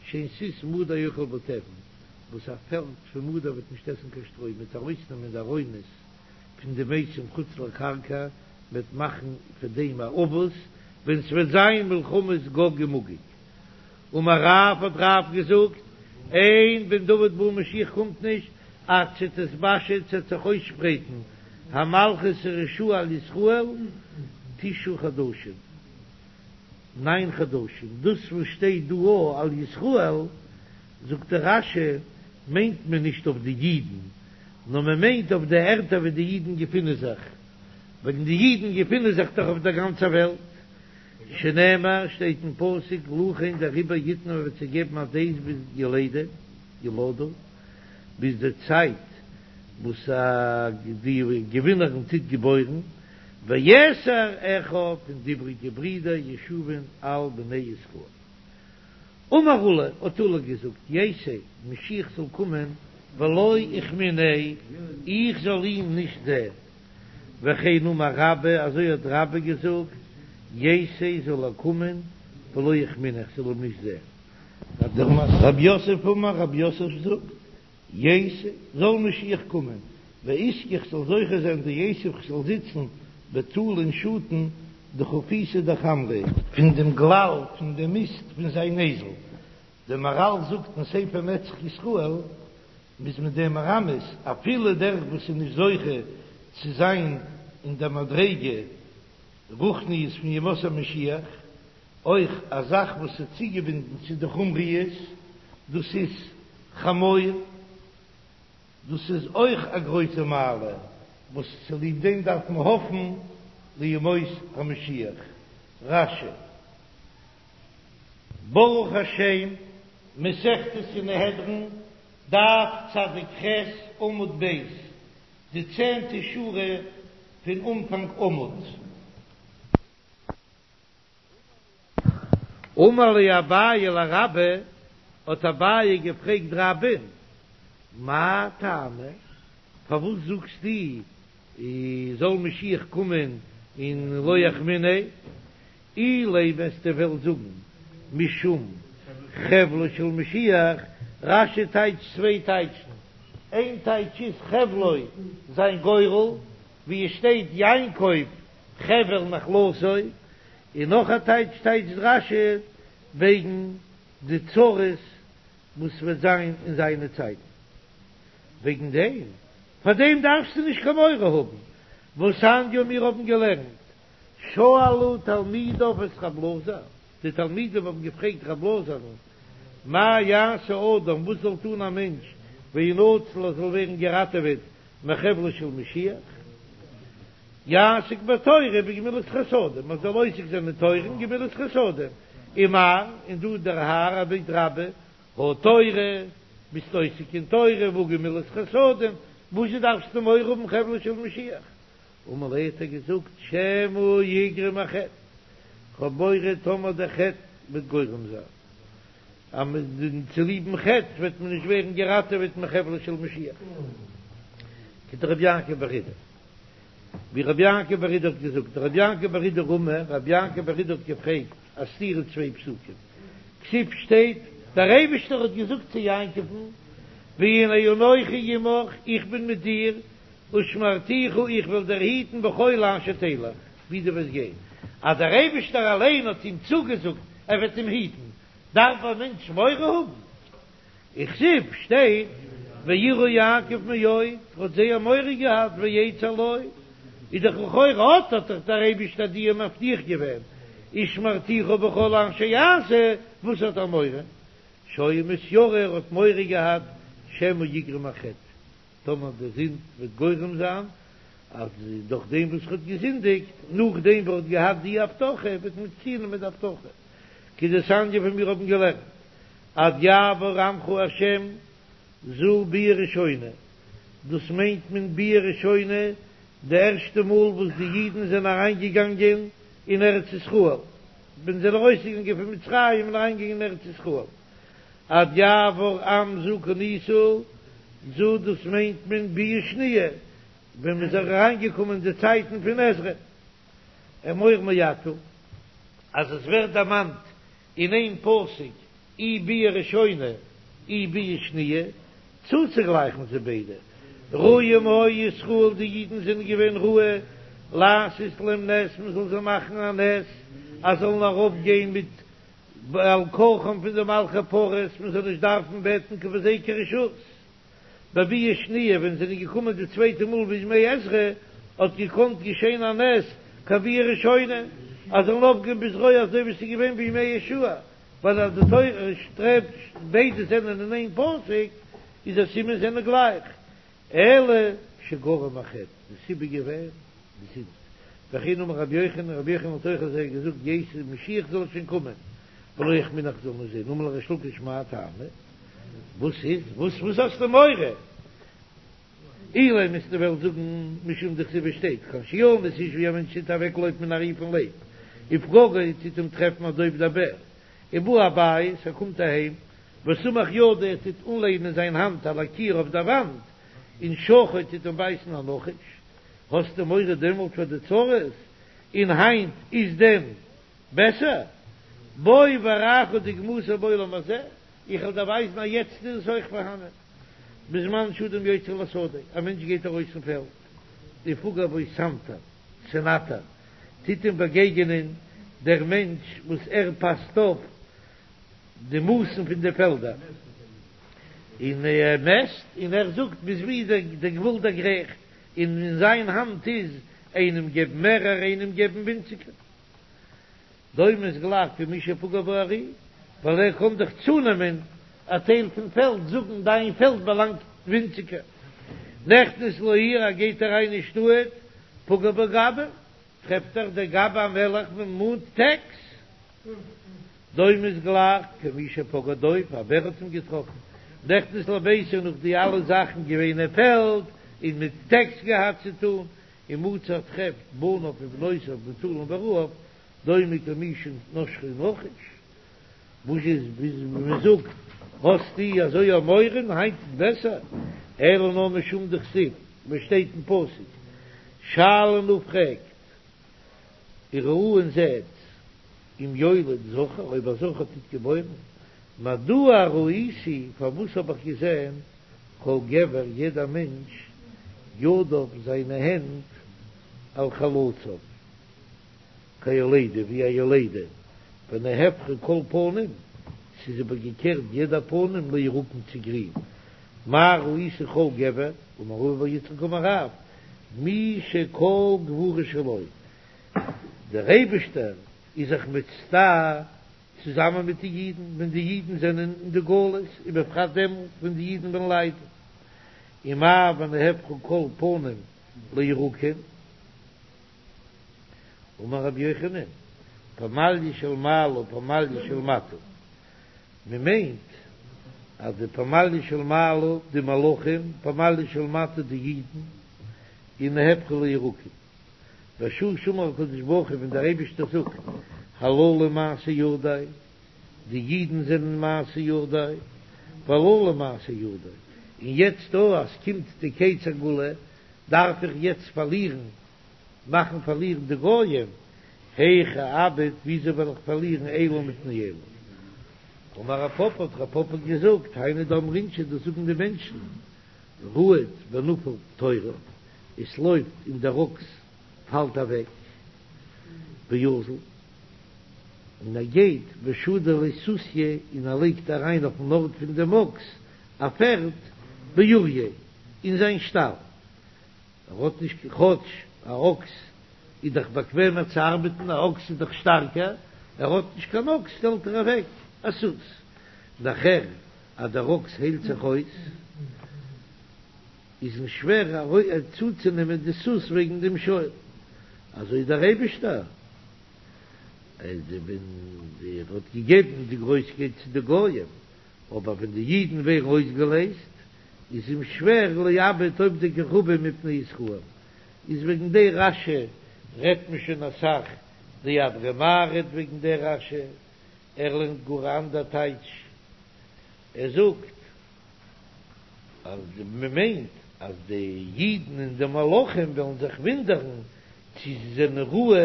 שאין סוס מדי אוכל בו תבן, וואס א פערד פון מדי וועט נישט עסן קיין שטרוי, מ'וועט ארויסנעמען די ארונות פון די מתים חוץ לקרקע, מ'וועט מאכן פון דעם א אבוס, ווען ס'וועט זיין מלחמות גוג ומגוג. אמר רב האט רב געזאגט, אין בן דוד בא משיח קומט נישט, עד שתתפשט ס'וועט זיך אויסשפרייטן המלכות הרשעה על ישראל תשעה חדשים, ניין חדשים, דאס וואס שטייט דא א על ישראל, זאגט דער רש"י, מיינט מען נישט אויף די אידן, נאר מען מיינט אויף די ערטער וואו די אידן געפינען זיך, וועגן די אידן געפינען זיך דאך אויף דער גאנצער וועלט, שנאמר, שטייט אין פסוק, לכן דעריבער יתנו מען וועט זיי געבן עד עת ביז ילדה, ילדה, ביז די צייט וואס די געווינערין טוט געבוירן, ויתר אחיו און די איבריגע ברידער ישובון על בני ישראל. אמר עולא, האט עולא געזאגט, ייתי, משיח זאל קומען, ולא אחמיניה, איך זאל אים נישט זען. וכן אמר רבה, אזוי האט רבה געזאגט, ייתי זאל ער קומען, ולא אחמיניה, איך זאל אים נישט זען. רב יוסף אמר, רב יוסף זאגט, ייתי, זאל משיח קומען, ואזכה איך זאל זוכה זיין דיתיב איך זאל זיצן בטולא אין שאטן דחופיתא דחמריה. פון דעם גלל פון דעם מיסט פון זיין אייזל. דער מהר"ל זאגט אין ספר נצח ישראל, מ'איז מיט דעם מרמז, אפילו דער וואס איז נישט זוכה צו זיין אין דער מדריגה רוחניות פון ימות המשיח, אויך א זאך וואס איז צוגעבינדן צו די חומריות, דאס איז חמור, דאס איז אויך א גרויסע מעלה וואס צוליב דעם דארף מען האפן לימות המשיח. רש"י. ברוך השם, מסכת סנהדרין, דף צדיק ח' עמוד ב', די צענטע שורה פון אנפאנג עמוד. אמר ליה אביי לרבה, האט אביי געפרעגט רבה'ן, מאי טעמא, פארוואס זאגסטו זאל משיח קומען און לא אחמיניה, אילימא וועסטו וועלן זאגן משום חבלו של משיח, רש"י טייטשט צוויי טייטשן, איין טייטש איז חבלו זיין גורל, ווי עס שטייט יעקב חבל נחלתו, און נאך א טייטש טייטשט רש"י וועגן די צרות וואס וועט זיין אין זיינע צייטן, וועגן דעם, פאר דעם דארפסטו נישט קיין מורא האבן, והתניא מיר האבן געלערנט, שאלו תלמידיו את רב אלעזר, די תלמידים האבן געפרעגט רב אלעזר'ן, מה יעשה אדם, וואס זאל טון א מענטש, וינצל ער זאל ווערן געראטעוועט מחבלו של משיח, יעסוק בתורה ובגמילות חסדים, מען זאל עוסק זיין אין תורה און גמילות חסדים, ומר, און דו דער האר עביד רבה, הא תורה, ביסט עוסק אין תורה והא גמילות חסדים, וואזשע דארפסטו מורא האבן חבלו של משיח? אמר להו האט ער געזאגט שמא יגרום החטא, כ'האב מורא טאמער דער חטא וועט גורם זיין אז מען צוליבן חטא וועט מען נישט ווערן געראטעוועט מחבלו של משיח, כדרבי יעקב בר אידי, ווי רבי יעקב בר אידי האט געזאגט, דרבי יעקב בר אידי רמי, רבי יעקב בר אידי האט געפרעגט א סתירה צוויי פסוקים, כתיב שטייט, דער אייבישטער האט געזאגט צו יעקב'ן, והנה אנכי עמך, איך בין מיט דיר, ושמרתיך, איך וועל דיר היטן בכל אשר תלך, ווי דו וועסט גיין. אז דער אייבישטער אליין האט אים צוגעזאגט ער וועט אים היטן, דארף א מענטש מורא האבן? וכתיב שטייט, ויירא יעקב מאוד, ער האט זייער מורא געהאט, ויצר לו, איז דאך לכאורה אט האט דאך דער אייבישטער דיר מבטיח געווען, ושמרתיך בכל אשר יעשה, וואס האט ער מורא? שהיה מתיירא, ער האט מורא געהאט, שמא יגרום החטא. טאמער די זינד וועט גורם זיין אז דורך דעם וואס ער האט געזינדיגט, נאכדעם וואס ער האט געהאט די הבטחה, וועט מען צונעמען די הבטחה. כדתניא ווי מיר האבן געלערנט, עד יעבור עמך השם זו ביאה ראשונה, דאס מיינט מען ביאה ראשונה די ערשטע מאל וואס די אידן זענען אריינגעגאנגען אין ארץ ישראל, ווען זיי זענען ארויסגעגאנגען פון מצרים און אריינגעגאנגען אין ארץ ישראל. עד יעבור עם זו קנית, זו דאס מיינט מען ביאה שניה, ווען מ'איז אריינגעקומען אין די צייטן פון עזרא. אמור מעתה, אז עס ווערט דערמאנט אין איין פסוק אי ביאה ראשונה אי ביאה שניה, צוצוגלייכן זיי ביידע, ראויים היו ישראל, די אידן זענען געווען ראוי לעשות להם נס, מען זאל זיי מאכן א נס אז זאלן ארויפגיין מיט בעל כרחם פון די מלכי פרס, מען זאל נישט דארפן בעטן קיין פון זיי קיין רשות. בביאה שניה ווען זענען געקומען די צווייטע מאל בימי עזרא, האט געקאנט געשען א נס כביאה ראשונה, אז זאלן ארויפגיין בזרוע אזוי ווי ס'איז געווען בימי יהושע, ווייל אז די תורה שטרעבט ביידע זענען אין איין פסוק, איז א סימן זענען גלייך. אלא שגרם החטא, די סיבה געווען די זינד, וכן אמר רבי יוחנן, רבי יוחנן האט אויך אזוי געזאגט, ייתי משיח זאל שוין קומען, ולא אחמיניה איך זאל נישט זען, אמר ליה ריש לקיש מאי טעמא, וואס איז, וואס וואס האסטו מורא? אילימא וועסטו וועלן זאגן משום דכתיב שטייט, כאשר ינוס איש ווי א מענטש טוט אוועקלויפן מן הארי פון לייב, ופגגו טוט אים טרעפן הדוב דער בער, ובא הבית, ער קומט אהיים, וסמך ידו ער טוט אנלענען זיין האנט על הקיר אויף דער וואנט, ונשכו טוט אים בייסן א נחש, האסטו מורא דעמאלט פאר די צרות, און היינט איז דען בעסער? בוא ואראך דוגמתו בעולם הזה, איך וועל דיר ווייזן אז יעצט איז עס אויך פארהאנען, בזמן שאדם יוצא לשדה, א מענטש גייט ארויס אין פעלד, ופגע בו סנטר, סנטר, טוט אים באגעגענען דער מענטש וואס ער פאסט אויף די מאסן פון די פעלדער, און ער מעסט, און ער זאגט ביז וואו דער גבול דערגרייכט, און אין זיין האנט איז איינעם געבן מערער איינעם געבן ווינציגער. דומה איז גלייך כמי שפגע בארי, ווייל ער קען דאך צונעמען א טייל פון פעלד, זאגן דיין פעלד באלאנגט ווינציגער. נכנס לעיר, ער גייט אריין אין שטאט, פגע בגבאי, טרעפט ער דער גבאי המלך מאנט טעקס. דומה איז גלייך כמי שפגע דוב, א בער האט אים געטראפן. נכנס לביתו נאך די אלע זאכן געווען אין פעלד און מיט טעקס געהאט צו טון, ומצא טרעפט בניו ובנותיו מוטלין ברעב, דומה כמי שנשכו נחש, וואס איז ווי מען זאגט האסטו אזוי א מורא היינט איז בעסער, אלא נאר משום דכתיב וואס שטייט אין פסוק שאלו נא פרעגט וראו און זעט אם יולד זכר אויב א זכר טוט געבוירן, מדוע ראיתי פארוואס האב איך געזען כל גבר יעדע מענטש ידיו זיינע הענט על חלציו כיולדה ווי א יולדה ונהפכו כל פנים ס'איז איבערגעקערט יעדע פנים לירוקים צו גרין מה ראיתי כל גבר אמר רבא בר יצחק אמר רב מי שכל גבורה שלו דער אייבישטער איז זיך מצטער צוזאמען מיט די אידן ווען די אידן זענען אין די גלות, ובפרט דעמאלט ווען די אידן וועלן ליידן, ומאי ונהפכו כל פנים לירוקים, אמר רבי יוחנן, פמליא של מעלה ופמליא של מטה, מען מיינט אז די פמליא של מעלה די מלאכים, פמליא של מטה די אידן, און נהפכו לירוקים. בשעה שאמר הקדוש ברוך הוא ווען דער אייבישטער זאגט הללו מעשה ידי, די אידן זענען מעשה ידי, והללו מעשה ידי, און יעצט דא אז ס'קומט די קץ הגאולה דארף איך יעצט פארלירן, מאכן פארלירן די גויים, היאך אאבד, וויאזוי וועל איך פארלירן אלו מפני אלו? אמר רב פפא האט רב פפא געזאגט היינו דאמרי אינשי דאס זאגן די מענטשן, רהוט ונפיל תורא, עס לויפט און דער אקס פאלט אוועק, ואזיל, און ער גייט, ושדי ליה סוסיא, און ער לייגט אריין אויפן ארט פון דעם אקס א פערד, באוריה, אין זיין שטאל, ער האט נישט, כאטש א אקס איז דאך באקוועמער צו ארבעטן, א אקס איז דאך שטארקער, ער האט נישט קיין אקס שטעלט ער אוועק א סוס, נאכער אז דער אקס היילט זיך אויס, איז אים שווער צוצונעמען די סוס וועגן דעם שור, אזוי דער אייבישטער ווען ער האט געגעבן די גרויסקייט צו די גויים, אבער ווען די אידן ווערן אויסגעלייזט איז אים שווער לאבד עובדי כוכבים מפני ישראל, איז וועגן די רש"י רעדט מען שוין אסאך, די אדר' מר רעדט וועגן די רש"י, ער לערנט גאר א אנדער טייטש, ער זאגט אז מען מיינט אז די אידן און די מלאכים וועלן זיך ווינדערן צו זיי זענען ראוי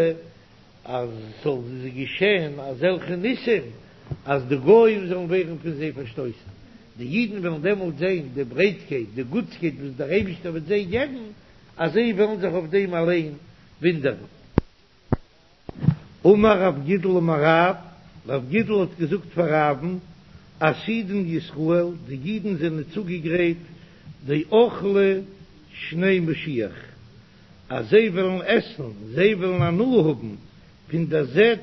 אז ס'זאל זיי געשען אזעלכע ניסים אז די גוים זאלן ווערן פון זיי פארשטויסן, די אידן וועלן דעמאלט זען די ברייטקייט, די גוטסקייט וואס דער אייבישטער וועט זיי געבן, אז זיי וועלן זיך אויף דעם אליין ווינדערן. אמר רב גידל אמר רב, רב גידל האט געזאגט פאר רב'ן, עתידין ישראל, די אידן זענען צוגעגרייט דאכלי שני משיח, אז זיי וועלן עסן, זיי וועלן הנאה האבן פון דער זעט,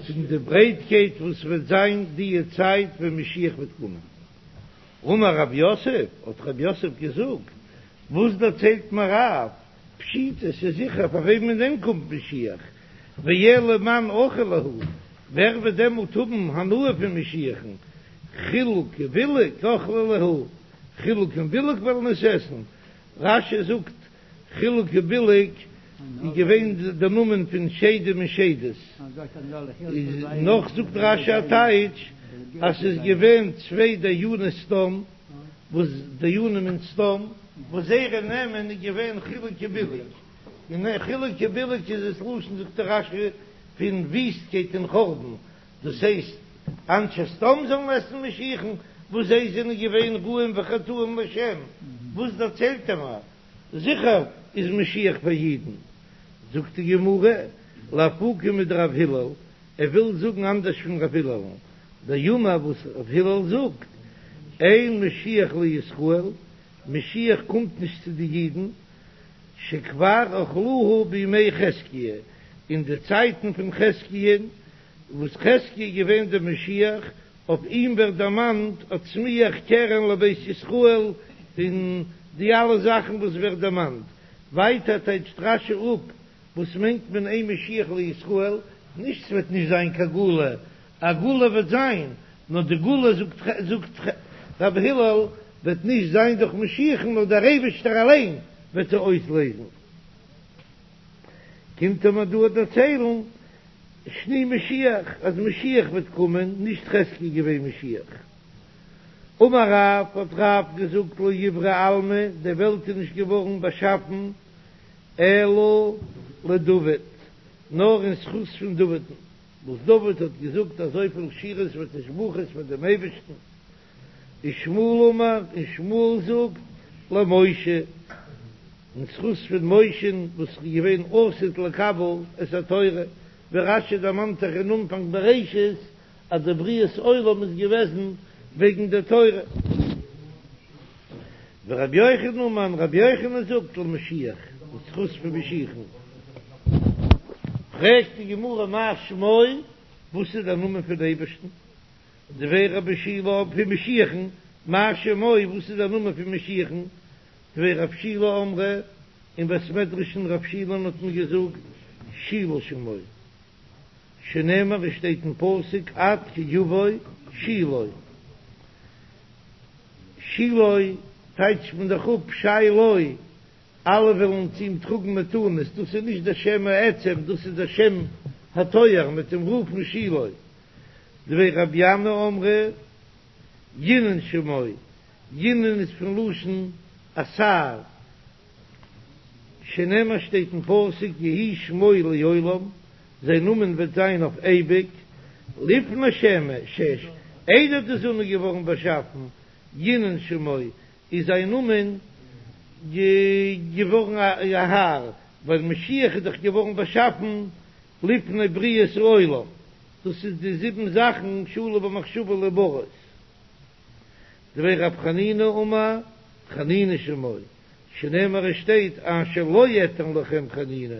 פון די ברייטקייט וואס וועט זיין די צייט ווען משיח וועט קומען. אמר רב יוסף, האט רב יוסף געזאגט, וואס דערציילט מיר רב, פשיטא, ס'איז זיכער פאר וועמען דען קומט משיח, ואלא מאן אכיל להו, ווער וועט דעמאלט האבן הנאה פון משיח'ן, חילוק ובילוג אכלי להו, חילוק און בילוג וועלן עס עסן, רש"י זאגט חילוק ובילוג איז געווען די נאמען פון שדים און שדות, איז נאך זאגט רש"י א טייטש אז ס'איז געווען צוויי דייני סדום וואס דיינים אין סדום וואס זייערע נעמען איז געווען חילוק ובילוג, און חילוק ובילוג איז עס לשון זאגט רש"י פון וויסטקייט און חורבן, דאס הייסט אנשי סדום זאלן עסן משיח'ן וואס זיי זענען געווען רעים וחטאים לשם, וואס דערציילט ער מיר? זיכער איז משיח פאר אידן, זאגט די גמרא, לאפוקי מדרב הלל, ער וויל זאגן אנדערש פון רב הילל'ן, דאמר וואס רב הלל זאגט, אין משיח לישראל, משיח קומט נישט צו די אידן, שכבר אכלוהו בימי חזקיה, אין די צייטן פון חזקיה'ן, וואס חזקיה איז געווען דער משיח, אויף אים ווערט דערמאנט הצמיח קרן לבית ישראל און די אלע זאכן וואס ווערט דערמאנט. ווייטער טייטשט רש"י אפ וואס מיינט מען אין משיח לישראל, נישט ס'וועט נישט זיין קיין גאולה, א גאולה וועט זיין, נאר די גאולה זאגט זאגט רבי הלל וועט נישט זיין דורך משיח'ן נאר דער אייבערשטער אליין וועט זיי אויסלעזן. קומט ער מיר דא דערציילן שני משיח אז משיח וועט קומען, נישט חזקיה איז געווען משיח. אמר רב, האט רב געזאגט לא איברי עלמא, די וועלט איז נישט געווארן באשאפן אלא לדוד, נאר אין זכות פון דוד'ן, וואס דוד האט געזאגט אזויפיל שירות ותשבחות פאר דעם אייבערשטן, ושמואל אמר, און שמואל זאגט, למשה, אין זכות פון משה'ן וואס איז געווען עתיד לקבל את התורה, ווי רש"י דערמאנט זיך אין אנפאנג בראשית אז די בריאת עולם איז געוועזן וועגן די תורה. ורבי יוחנן אמר, און רבי יוחנן זאגט למשיח, אין זכות פון משיח'ן. פרעגט די גמרא מאי שמו, וואס איז דער נאמען פון אייבערשטן? דבי רבי שילא פון משיח'ן, מאי שמו, וואס איז דער נאמען פון משיח'ן? דבי רב שילא אמרי, אין בית מדרש פון רב שילא'ן האט מען געזאגט שילה שמו, שנאמר עס שטייט אין פסוק עד כי יבוא שילה, שילה טייטשט מען דאך אפ שי לו, אלע וועלן צו אים טראגן מתנות, דאס איז נישט דער שם העצם, דאס איז דער שם התואר, מ'טוט אים רופן שילה. דבי רבי ינאי אמרי ינון שמו, ינון איז פון לשון אתר, שנאמר שטייט אין פסוק יהי שמו לעולם, זיין נאמען וועט זיין אויף אייביג, לפני שמש, איידער די זון איז געווארן באשאפן, ינון שמו, איז זיין נאמען געווארן א האר, ווייל משיח איז דאך געווארן באשאפן לפני בריאת העולם, דאס איז די זיבן זאכן שעלו במחשבה להבראות. דבי רב חנינא אמר חנינא שמו, שנאמר עס שטייט אשר לא אתן לכם חנינה,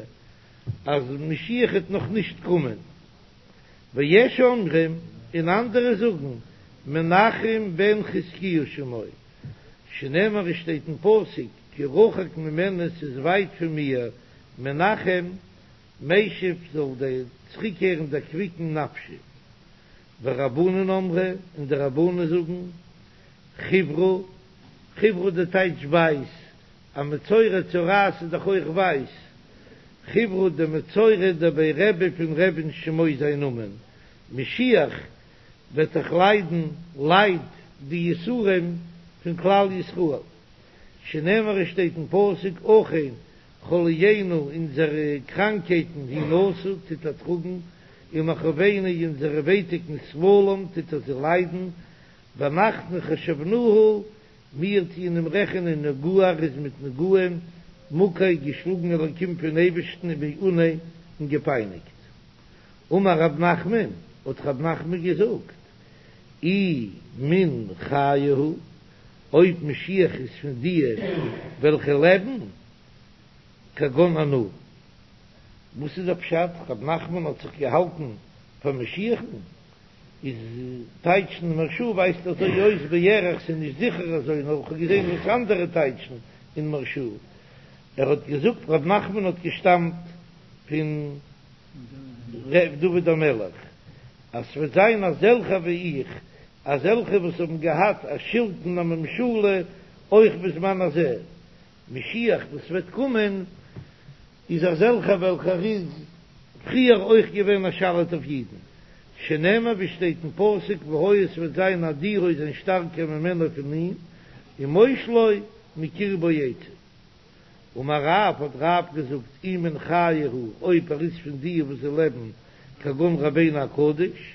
אז משיח העט נאך נישט קומען. ויש אומרים, און אנדערע זאגן, מנחם בן חזקיהו שמו, שנאמר עס שטייט אין פסוק כי רחוק ממני ס'איז ווייט פון מיר מנחם משיב זאל דער צוריקקערן דערקוויקן נפשי. ורבנן אמרי, און די רבנן זאגן, חיוורא, חיוורא די טייטש ווייס, א מצורע צרעת איז דאך אויך ווייס, חיוורא דמצורע דבי רבי פון רבי'ן שמו זיין נאמען, משיח וועט דאך ליידן לייד די יסורים פון כלל ישראל, שנאמר עס שטייט אין פסוק אכן חליינו אונזערע קראנקייטן הוא נשא טוט ער טראגן, ומכאובינו אונזערע ווייטיקן סבלם טוט ער זיי ליידן, ואנחנו חשבנוהו מיר טוען אים רעכענען נגוע ער איז מיט נגעים מוכה געשלאגן אלקים פון אייבערשטן ומעונה און געפייניגט. אמר רב נחמן, האט רב נחמן געזאגט, אי מן חיי הוא, אויב משיח איז פון דיע וועלכע לעבן, כגון אנא. וואס איז דער פשט? רב נחמן האט זיך געהאלטן פאר משיח'ן? איז טייטשן מהרש"א ווייזט אזוי אויס בערך, ס'איז נישט זיכער אזוי נאר כ'האב געזען וואס אנדערע טייטשן אין מהרש"א, ער האט געזאגט רב נחמן האט געשטאמט פון ר' דוד המלך אז ס'וועט זיין אזעלכע ווי איך, אזעלכע וואס האבן געהאט א שלטון א ממשלה אויך בזמן הזה, משיח וואס וועט קומען איז אזעלכער וועלכער איז פריער אויך געווען א שליט אויף אידן, שנאמר ווי שטייט אין פסוק והיה עס וועט זיין אדירו זיין שטארקער ממנו פון אים, ומושלו מקרבו יצא. אמר רב, האט רב געזאגט, אי מן חיי הוא, אויב ער איז פון די וואס זיי לעבן, כגון רבינו הקדוש,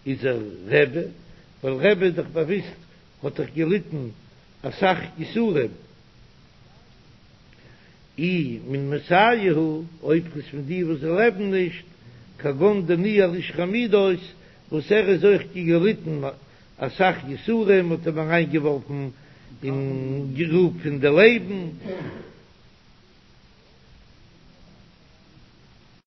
איז ער רבי, ווייל רבי איז דאך באוויסט האט דאך געליטן אסאך יסורים. אי מן מתאי הוא, אויב איז פון די וואס זיי לעבן נישט, כגון דניאל איש חמודות, וואס ער איז אויך געליטן אסאך יסורים, מ'האט אים אריינגעווארפן אין גרוב פון די לייבן,